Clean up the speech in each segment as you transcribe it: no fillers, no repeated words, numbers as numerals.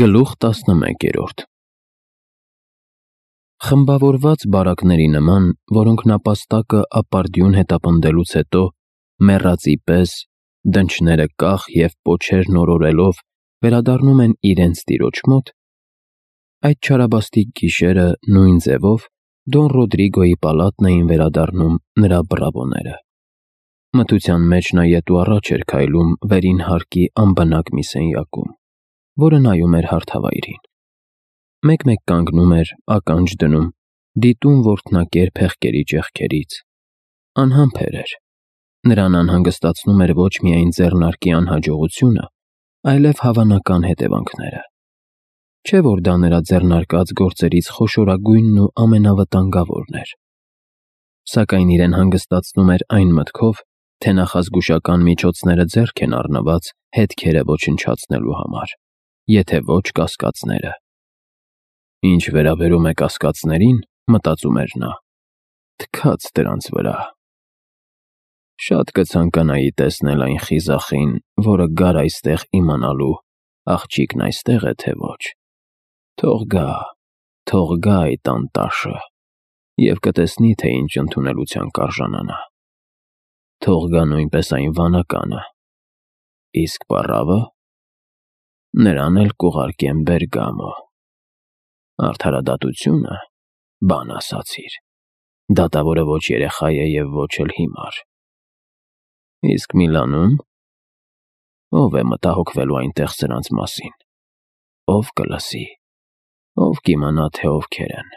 Գլուխ 11 Խմբավորված բարակների նման, որոնք նապաստակը ապարդյուն հետապնդելուց հետո, մեռածի պես, դնչները կախ և պոչերն օրորելով, վերադառնում են իրենց տիրոջ մոտ, այդ չարաբաստիկ գիշերը նույն ձևով Դոն Ռոդրիգոյի պալատն էին վերադառնում նրա բռավոները։ Մթության մեջ նա ետ ու առաջ էր քայլում վերին հարկի անբնակ մի սենյակում, որը նայում էր հարթավայրին։ Մեկ-մեկ կանգնում էր, ականջ դնում, դիտում որդնակեր փեղկերի ճեղքերից։ Անհամբեր էր։ Նրան անհանգստացնում էր ոչ միայն ձեռնարկի անհաջողությունը, այլև հավանական հետևանքները։ Չէ՞ որ դա նրա ձեռնարկած գործերից խոշորագույնն ու ամենավտանգավորն էր։ Սակայն իրեն հանգստացնում էր այն մտքով, թե նախազգուշական միջոցները ձեռք են առնված հետքերը ոչնչացնելու համար, եթե ոչ կասկածները։ Ինչ վերաբերում է կասկածներին, մտածում էր նա, թքած դրանց վրա։ Շատ կցանկանայի տեսնել այն խիզախին, որը գար այստեղ իմանալու, աղջիկն այստեղ է, թե ոչ։ Թող գա այդ անտաշը, և կտեսնի, թե ինչ ընդունելության կարժանանա։ Թող գա նույնպես այն վանականը, իսկ պառավը, նրան էլ կուղարկեմ Բերգամո։ Արդարադատությունը, բան ասացիր, դատավորը ոչ երեխա է և ոչ էլ հիմար։ Իսկ Միլանում, ով է մտահոգվելու այնտեղ սրանց մասին, ով կլսի, ով կիմանա, թե ովքեր են։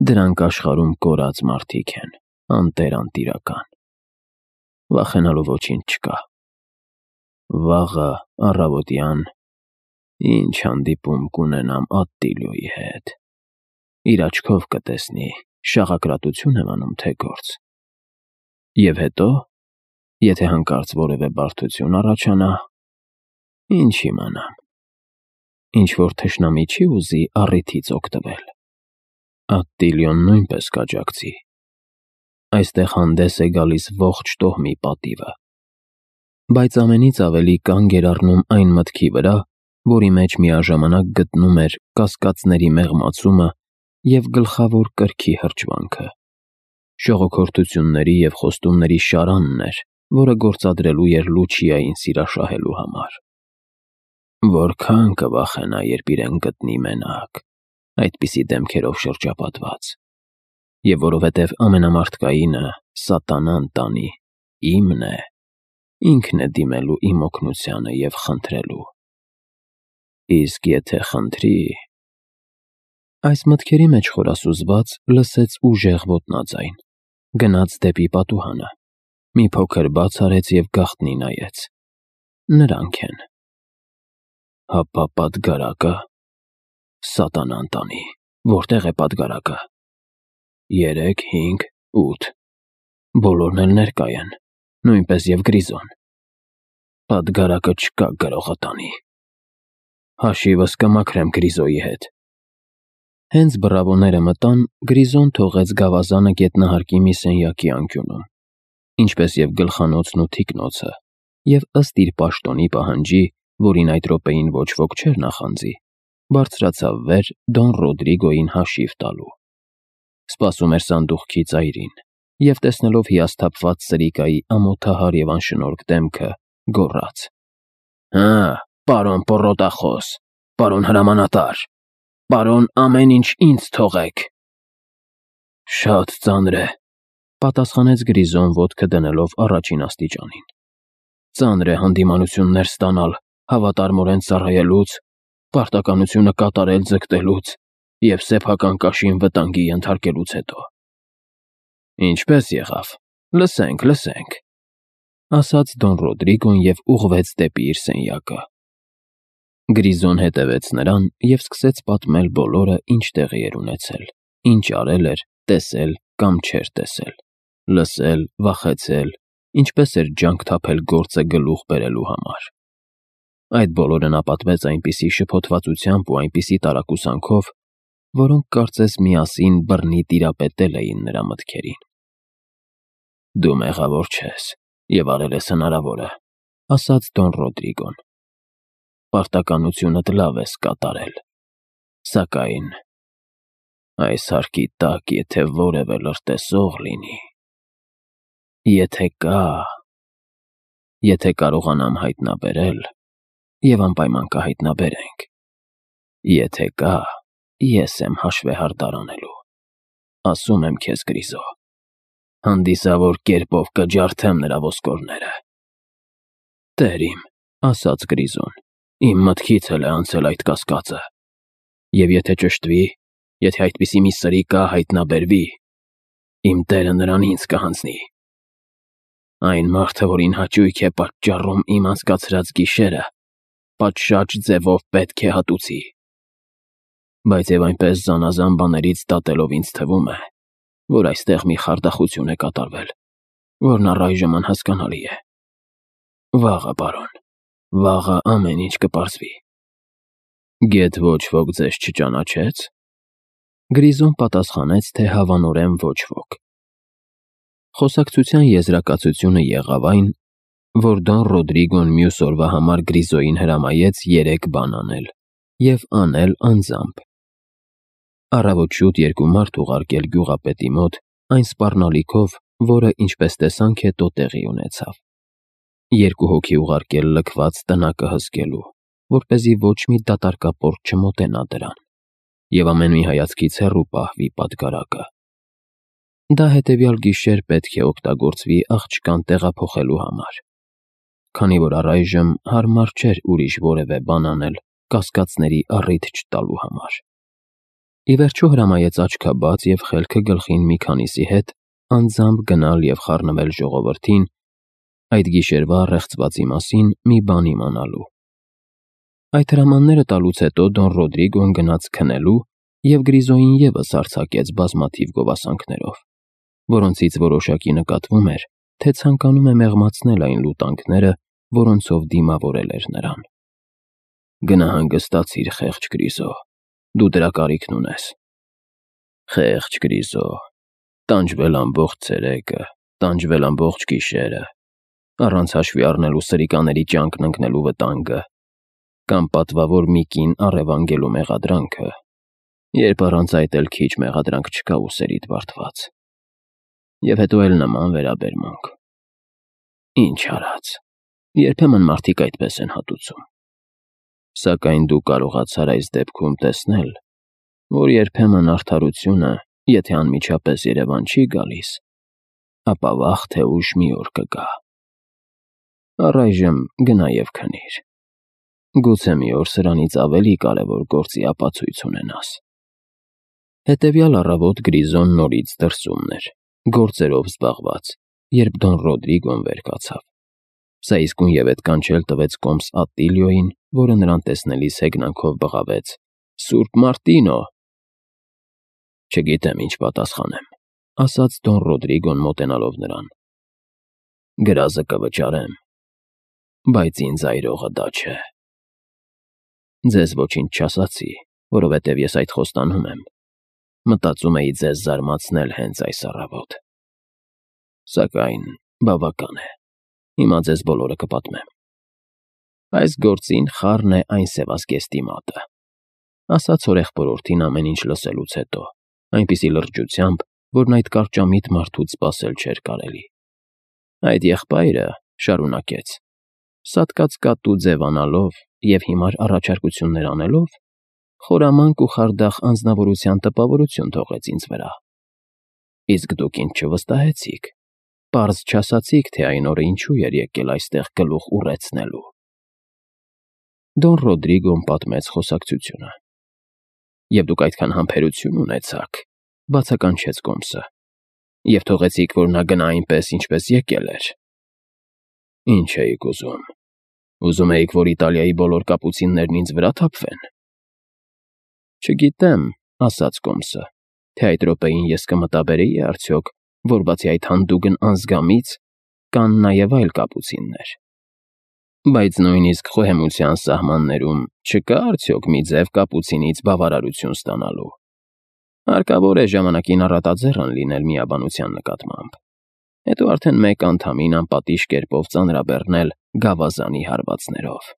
Դրանք աշխարհում կորած մարդիկ են, անտեր-անտիրական։ Վախենալու ոչինչ չկա։ Վաղը առավոտյան ինչ հանդիպում կունենամ Ատտիլոյի հետ։ Իր աչքով կտեսնի, շաղակրատություն եմ անում, թե գործ։ Եվ հետո, եթե հանկարծ որևէ բարդություն առաջանա, ինչ իմանամ, ինչ-որ թշնամի չի ուզի առիթից օգտվել։ Ատտիլոն նույնպես կաջակցի։ Այստեղ հանդես է գալիս ողջ տոհմի պատիվը։ Բայց ամենից ավելի կանգ էր առնում այն մտքի վրա, որի մեջ միաժամանակ գտնում էր կասկածների մեղմացումը և գլխավոր կրքի հրճվանքը։ Շողոքորթությունների և խոստումների շարանն էր, որը գործադրելու էր Լուչիային սիրաշահելու համար։ Որքան կվախենա, երբ իրեն գտնի մենակ, այդպիսի դեմքերով շրջապատված։ Եվ որովհետև ամենամարդկայինը, սատանան տանի, իմն է, ինքն է դիմելու իմ օգնությանը և խնդրելու։ Իսկ եթե խնդրի… Այս մտքերի մեջ խորասուզված լսեց ուժեղ ոտնաձայն, գնաց դեպի պատուհանը, մի փոքր բաց արեց և գաղտնի նայեց։ Նրանք են։ Հապա պատգարակը… Սատանան տանի, որտե՞ղ է պատգարակը։ 3, 5, 8… Բոլորն էլ ներկա են, նույնպես և Գրիզոն։ Պատգարակը չկա գրողը տանի։ Հաշիվս կմաքրեմ Գրիզոյի հետ։ Հենց բռավոները մտան, Գրիզոն թողեց գավազանը գետնահարկի մի սենյակի անկյունում, ինչպես և գլխանոցն ու թիկնոցը, և ըստ իր պաշտոնի պահանջի, որին այդ րոպեին ոչ ոք չէր նախանձի, բարձրացավ վեր Դոն Ռոդրիգոյին հաշիվ տալու։ Սպասում էր սանդուղքի ծայրին, և տեսնելով հիասթափված սրիկայի ամոթահար և անշնորհք դեմքը, գոռաց. Հը, պարոն պոռոտախոս, պարոն հրամանատար, պարոն ամեն ինչ ինձ թողեք։ Շատ ծանր է, պատասխանեց Գրիզոն ոտքը դնելով առաջին աստիճանին։ Ծանր է հանդիմանություններ ստանալ, հավատարմորեն ծառայելուց, պարտականությունը կատարել ձգտելուց և սեփական կաշին վտանգի ենթարկելուց հետո։ Ինչպե՞ս եղավ, լսենք, ասաց Դոն Ռոդրիգոն և ուղղվեց դեպի իր սենյակը։ Գրիզոն հետևեց նրան և սկսեց պատմել բոլորը, ինչ տեղի էր ունեցել, ինչ արել էր, տեսել կամ չէր տեսել, լսել, վախեցել, ինչպես էր ջանք թափել գործը գլուխ բերելու համար։ Այդ բոլորը նա պատմեց այնպիսի շփոթվածությամբ ու այնպիսի տարակուսանքով, որոնք կարծես միասին բռնի տիրապետել էին նրա մտքերին։ Դու մեղավոր չես և արել ես հնարավորը, ասաց Դոն Ռոդրիգոն։ պարտականությունդ լավ ես կատարել, սակայն այս հարկի տակ եթե որևէ լրտեսող լինի, եթե կարողանամ հայտնաբերել և անպայման կհայտնաբերենք, եթե կա, ես եմ հաշվեհարդար անելու, ասում եմ քեզ Գրիզո, հանդիսավոր կերպով կջարդեմ նրա ոսկորները։ Տեր իմ, ասաց Գրիզոն, իմ մտքից էլ է անցել այդ կասկածը, և եթե ճշտվի, եթե այդպիսի մի սրիկա հայտնաբերվի, իմ տերը նրան ինձ կհանձնի։ Այն մարդը, որին հաճույք է պատճառում իմ անցկացրած գիշերը, պատշաճ ձևով պետք է հատուցի։ Բայց և այնպես զանազան բաներից դատելով ինձ թվում է, որ այստեղ մի խարդախություն է կատարվել, որն առայժմ անհասկանալի է։ Վաղը, պարոն, վաղը ամեն ինչ կպարզվի։ Գեթ ոչ ոք ձեզ չճանաչեց։ Գրիզոն պատասխանեց, թե հավանորեն ոչ ոք։ Խոսակցության եզրակացությունը եղավ այն, որ Դոն Ռոդրիգոն մյուս օրվա համար Գրիզոյին հրամայեց 3 բան անել և անել անձամբ։ Առավոտ շուտ 2 մարդ ուղարկել գյուղապետի մոտ այն սպառնալիքով, որը, ինչպես տեսանք հետո տեղի ունեցավ։ 2 հոգի ուղարկել լքված տնակը հսկելու, որպեսզի ոչ մի դատարկապորտ չմոտենա դրան, և ամեն մի հայացքից հեռու պահվի պատգարակը։ Դա հետևյալ գիշեր պետք է օգտագործվի աղջկան տեղափոխելու համար, քանի որ առայժմ հարմար չէր ուրիշ որևէ բան անել կասկածների առիթ չտալու համար։ Ի վերջո հրամայեց աչքաբաց և խելքը գլխին մի քանիսի հետ անձամբ գնալ և խառնվել ժողովրդին այդ գիշերվա ռեղծվածի մասին մի բան իմանալու։ Այդ հրամանները տալուց հետո Դոն Ռոդրիգոն գնաց քնելու և Գրիզոյին ևս արձակեց բազմաթիվ գովասանքներով, որոնցից որոշակի նկատվում էր, թե ցանկանում է մեղմացնել այն լուտանքները, որոնցով դիմավորել էր նրան։ Գնա հանգստացիր, խեղճ Գրիզո, դու դրա կարիքն ունես։ Խեղճ Գրիզո, տանջվել ամբողջ ցերեկը, տանջվել ամբողջ գիշերը, առանց հաշվի առնելու սրիկաների ճանկն ընկնելու վտանգը, կամ պատվավոր մի կին առևանգելու մեղադրանքը, երբ առանց այդ էլ քիչ մեղադրանք չկա ուսերիդ բարդված։ Եվ հետո էլ նման վերաբերմունք։ Ինչ արած, երբեմն մարդիկ այդպես են հատուցում։ Սակայն դու կարողացար այս դեպքում տեսնել, որ երբեմն արդարությունը, եթե անմիջապես երևան չի գալիս, ապա վաղ թե ուշ մի օր կգա։ Առայժմ գնա և քնիր։ Գուցե մի օր սրանից ավելի կարևոր գործի ապացույց ունենաս։ Հետևյալ առավոտ Գրիզոն նորից դրսումն էր, գործերով զբաղված, երբ Դոն Ռոդրիգոն վեր կացավ։ Սա իսկույն ետ կանչել տվեց կոմս Ատտիլիոյին, որը նրան տեսնելիս հեգնանքով բղավեց. «Սուրբ Մարտինո»։ Չգիտեմ ինչ պատասխանեմ, ասաց Դոն Ռոդրիգոն մոտենալով նրան։ Գրազը կվճարեմ, բայց ինձ այրողը դա չէ։ Ձեզ ոչինչ չասացի, որովհետև ես այդ խոստանում եմ։ Մտածում էի ձեզ զարմացնել հենց այս առավոտ։ Սակայն բավական է, հիմա ձեզ բոլորը կպատմեմ։ Այս գործին խառն է այն սևազգեստի մատը, ասաց հորեղբորորդին ամեն ինչ լսելուց հետո, այնպիսի լրջությամբ, որն այդ կարճամիտ մարդուց սպասել չէր կարելի։ Այդ եղբայրը շարունակեց. սատկած կատու ձևանալով և հիմար առաջարկություններ անելով, խորամանկ ու խարդախ անձնավորության տպավորություն թողեց ինձ վրա։ Իսկ դուք ինձ չվստահեցիք, պարզ չասացիք, թե այն օրը ինչու էր եկել այստեղ գլուխ ուռեցնելու։ Դոն Ռոդրիգոն պատմեց խոսակցությունը։ Եվ դուք այդքան համբերություն ունեցաք, բացականչեց կոմսը, և թողեցիք, որ նա գնա այնպես, ինչպես եկել էր։ Ինչ էիք ուզում։ Ուզում էիք, որ Իտալիայի բոլոր կապուցիններն ինձ վրա թափվեն։ Չգիտեմ, ասաց կոմսը, թե այդ րոպեին ես կմտաբերեի արդյոք, որ բացի այդ հանդուգն անզգամից կան նաև այլ կապուցիններ։ Բայց նույնիսկ խոհեմության սահմաններում չկա արդյոք մի ձև կապուցինից բավարարություն ստանալու։ Հարկավոր է ժամանակին առատաձեռն լինել միաբանության նկատմամբ, հետո արդեն մեկ անդամին անպատիժ կերպով ծանրաբեռնել գավազանի հարվածներով։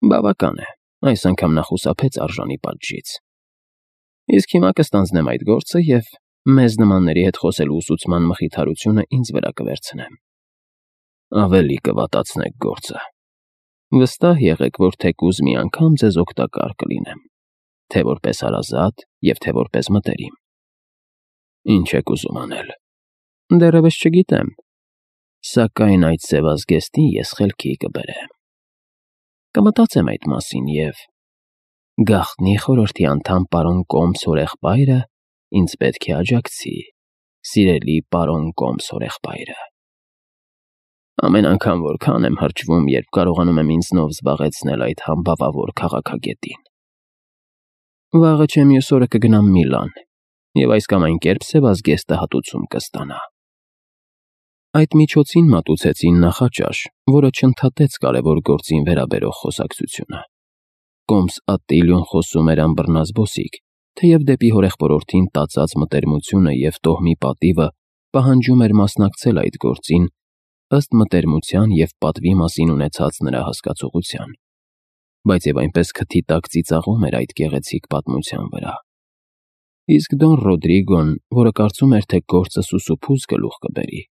Բավական է, այս անգամ նա խուսափեց արժանի պատժից։ Իսկ հիմա կստանձնեմ այդ գործը և մեզ նմանների հետ խոսելու ուսուցման մխիթարությունը ինձ վրա կվերցնեմ։ Ավելի կվատացնեք գործը։ Վստահ եղեք, որ թեկուզ մի անգամ ձեզ օգտակար կլինեմ, թե որպես հարազատ և թե որպես մտերիմ։ Ինչ եք ուզում անել։ Դեռևս չգիտեմ, սակայն այդ սևազգեստին ես խելքի կբերեմ։ Կմտածեմ այդ մասին և գաղտնի խորհրդի անդամ պարոն Կոմս հորեղբայրը ինձ պետք է աջակցի, սիրելի պարոն Կոմս հորեղբայրը։ Ամեն անգամ որքան եմ հրճվում, երբ կարողանում եմ ինձնով զբաղեցնել այդ համբավավոր քաղաքագետին։ Վաղը չէ մյուս օրը կգնամ Միլան, և այս կամ այն կերպ սևազգեստը հատուցում կստանա։ Այդ միջոցին մատուցեցին նախաճաշ, որը չընդհատեց կարևոր գործին վերաբերող խոսակցությունը։ Կոմս Ատիլիոն խոսում էր անբռնազբոսիկ, թեև դեպի հորեղբորորդին տածած մտերմությունը և տոհմի պատիվը պահանջում էր մասնակցել այդ գործին, ըստ մտերմության և պատվի մասին ունեցած նրա հասկացողության, բայց և այնպես քթի տակ ծիծաղում էր այդ գեղեցիկ պատմության վրա։ Իսկ Դոն Ռոդրիգոն, որը կարծում էր, թե գործը սուսուփուզ գլուխ կբերի,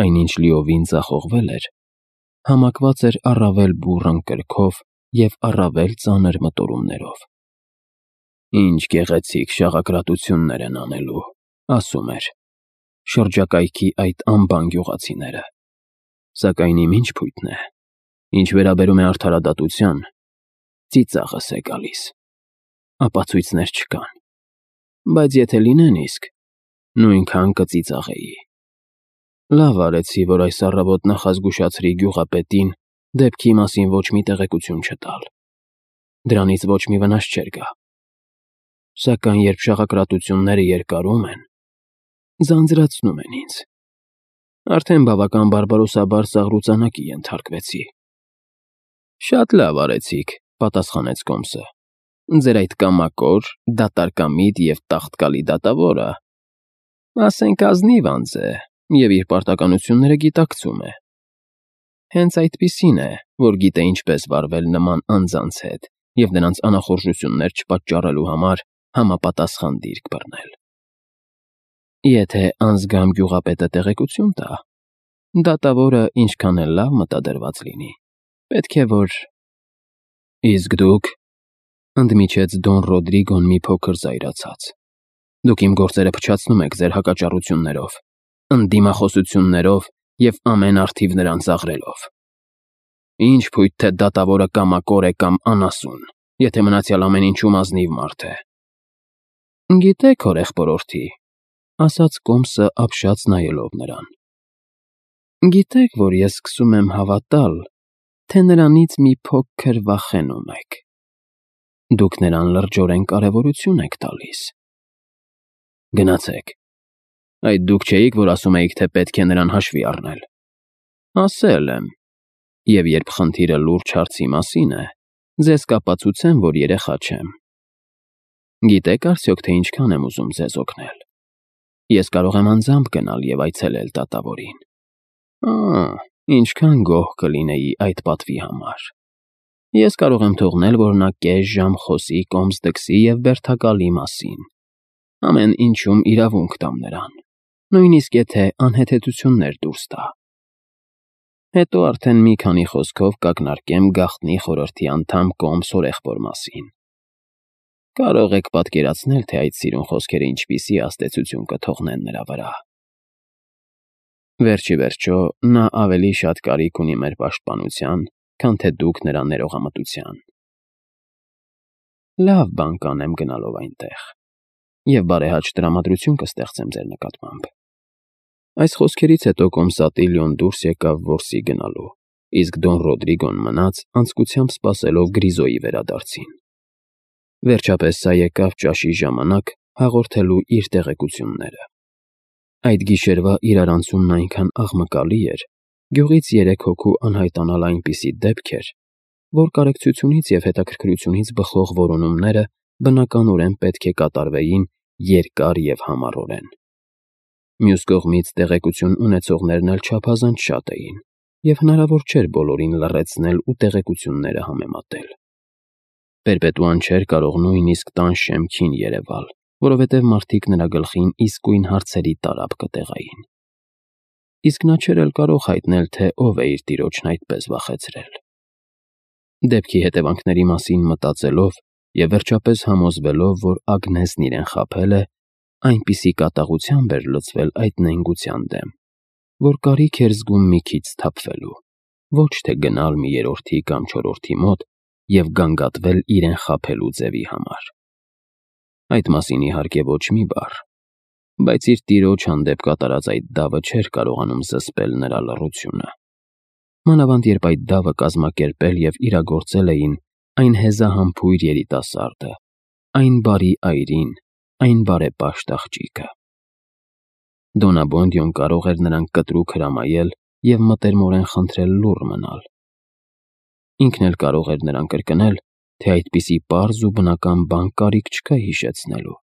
այնինչ լիովին ձախողվել էր, համակված էր առավել բուռն կրքով և առավել ծանր մտորումներով։ Ինչ գեղեցիկ շաղակրատություններ են անելու, ասում էր, շրջակայքի այդ անբան գյուղացիները։ Սակայն իմ ինչ փույթն է, ինչ վերաբերում է արդարադատության, ծիծաղս է գալիս։ Ապացույցներ չկան, բայց եթե լինեն իսկ, նույնքան կծիծաղեի։ Լավ արեցի, որ այս առավոտ նախազգուշացրի գյուղապետին դեպքի մասին ոչ մի տեղեկություն չտալ։ Դրանից ոչ մի վնաս չէր գա։ Սակայն երբ շաղակրատությունները երկարում են, ձանձրացնում են ինձ։ Արդեն բավական բարբարոսաբար ծաղրուծանակի ենթարկվեցի։ Շատ լավ արեցիք, պատասխանեց Կոմսը։ Ձեր այդ կամակոր, դատարկամիտ և տաղտկալի դատավորը, ասենք ազնիվ անձ է և իր պարտականությունները գիտակցում է։ Հենց այդպիսին է, որ գիտե ինչպես վարվել նման անձանց հետ և նրանց անախորժություններ չպատճառելու համար համապատասխան դիրք բռնել։ Եթե անձգամ գյուղապետը տեղեկություն տա, դատավորը ինչքան էլ լավ մտադրված լինի, պետք է որ… Իսկ դուք, ընդմիջեց Դոն Ռոդրիգոն մի փոքր զայրացած, դուք իմ գործերը փչացնում եք ձեր հակաճառություններով, ընդդիմախոսություններով և ամեն առթիվ նրան ծաղրելով։ Ինչ փույթ թե դատավորը կամակոր է կամ անասուն, եթե մնացյալ ամեն ինչում ազնիվ մարդ է։ Գիտեք, հորեղբորորդի, ասաց Կոմսը ապշած նայելով նրան։ Գիտեք, որ ես սկսում եմ հավատալ, թե նրանից մի փոքր վախենում եք։ Դուք նրան լրջորեն կարևորություն եք տալիս։ Գնացեք։ Այդ դուք չէիք, որ ասում էիք, թե պետք է նրան հաշվի առնել։ Ասել եմ։ Եվ երբ խնդիրը լուրջ հարցի մասին է, ձեզ կապացուցեմ, որ երեխա չեմ։ Գիտեք արդյոք, թե ինչքան եմ ուզում ձեզ օգնել։ Ես կարող եմ անձամբ գնալ և այցելել դատավորին։ Ինչքան գոհ կլինեի այդ պատվի համար։ Ես կարող եմ թողնել, որ նա կես ժամ խոսի Կոմս դքսի և բերդակալի մասին։ Ամեն ինչում իրավունք տամ նրան, նույնիսկ եթե անհեթեթություններ դուրս տա։ Հետո արդեն մի քանի խոսքով կակնարկեմ գաղտնի խորհրդի անդամ Կոմս հորեղբոր մասին։ Կարող եք պատկերացնել, թե այդ սիրուն խոսքերը ինչպիսի ազդեցություն կթողնեն նրա վրա։ Վերջ ի վերջո, նա ավելի շատ կարիք ունի մեր պաշտպանության, քան թե դուք նրա ներողամտության։ Լավ բան կանեմ գնալով այնտեղ, և բարեհաճ տրամադրություն կստեղծեմ ձեր նկատմամբ։ Այս խոսքերից հետո Կոմս Ատիլիոն դուրս եկավ որսի գնալու, իսկ Դոն Ռոդրիգոն մնաց անձկությամբ սպասելով Գրիզոյի վերադարձին։ Վերջապես սա եկավ ճաշի ժամանակ հաղորդելու իր տեղեկությունները։ Այդ գիշերվա իրարանցումն այնքան աղմկալի էր, գյուղից 3 հոգու անհայտանալ այնպիսի դեպք էր, որ կարեկցությունից և հետաքրքրությունից բխող որոնումները բնականորեն պետք է կատարվեին երկար և համառորեն։ Մյուս կողմից տեղեկություն ունեցողներն էլ չափազանց շատ էին, և հնարավոր չէր բոլորին լռեցնել ու տեղեկությունները համեմատել։ Պերպետուան չէր կարող նույնիսկ տան շեմքին երևալ, որովհետև մարդիկ նրա գլխին իսկույն հարցերի տարափ կտեղային։ Իսկ նա չէր էլ կարող հայտնել, թե ով է իր տիրոջն այդպես վախեցրել։ Դեպքի հետևանքների մասին մտածելով և վերջապես համոզվելով, որ Ագնեսն իրեն խաբել է, այնպիսի կատաղությամբ էր լցվել այդ նենգության դեմ, որ կարիք էր զգում մի քիչ սթափվելու, ոչ թե գնալ մի երրորդի կամ չորրորդի մոտ և գանգատվել իրեն խաբելու ձևի համար։ Այդ մասին, իհարկե, ոչ մի բառ, բայց իր տիրոջ հանդեպ կատարած այդ դավը չէր կարողանում զսպել նրա լռությունը։ Մանավանդ երբ այդ դավը կազմակերպել և իրագործել էին այն հեզահամբույր երիտասարդը, այն բարի այրին, այն բարեպաշտ աղջիկը։ Դոնաբոնդյոն կարող էր նրան կտրուկ հրամայել և մտերմորեն խնդրել լուռ մնալ։ Ինքն էլ կարող էր նրան կրկնել, թե այդպիսի պարզ ու բնական բան կարիք չկա հիշեցնելու։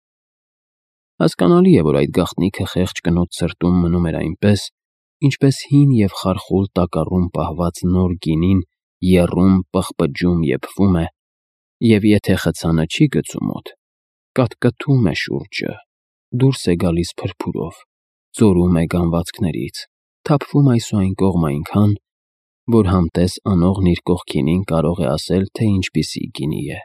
Հասկանալի է, որ այդ գաղտնիքը խեղճ կնոջ սրտում մնում էր այնպես, ինչպես հին և խարխուլ տակառում պահված նոր գինին եռում, պղպջում, եփվում է, և եթե խցանը չի գցու մոտ, կատկտում է շուրջը, դուրս է գալիս փրփուրով, ձորում է գանվածքներից, թափվում այս ու այն կողմ այնքան, որ համտես անողն իր կողքինին կարող է ասել, թե ինչպիսի գինի է։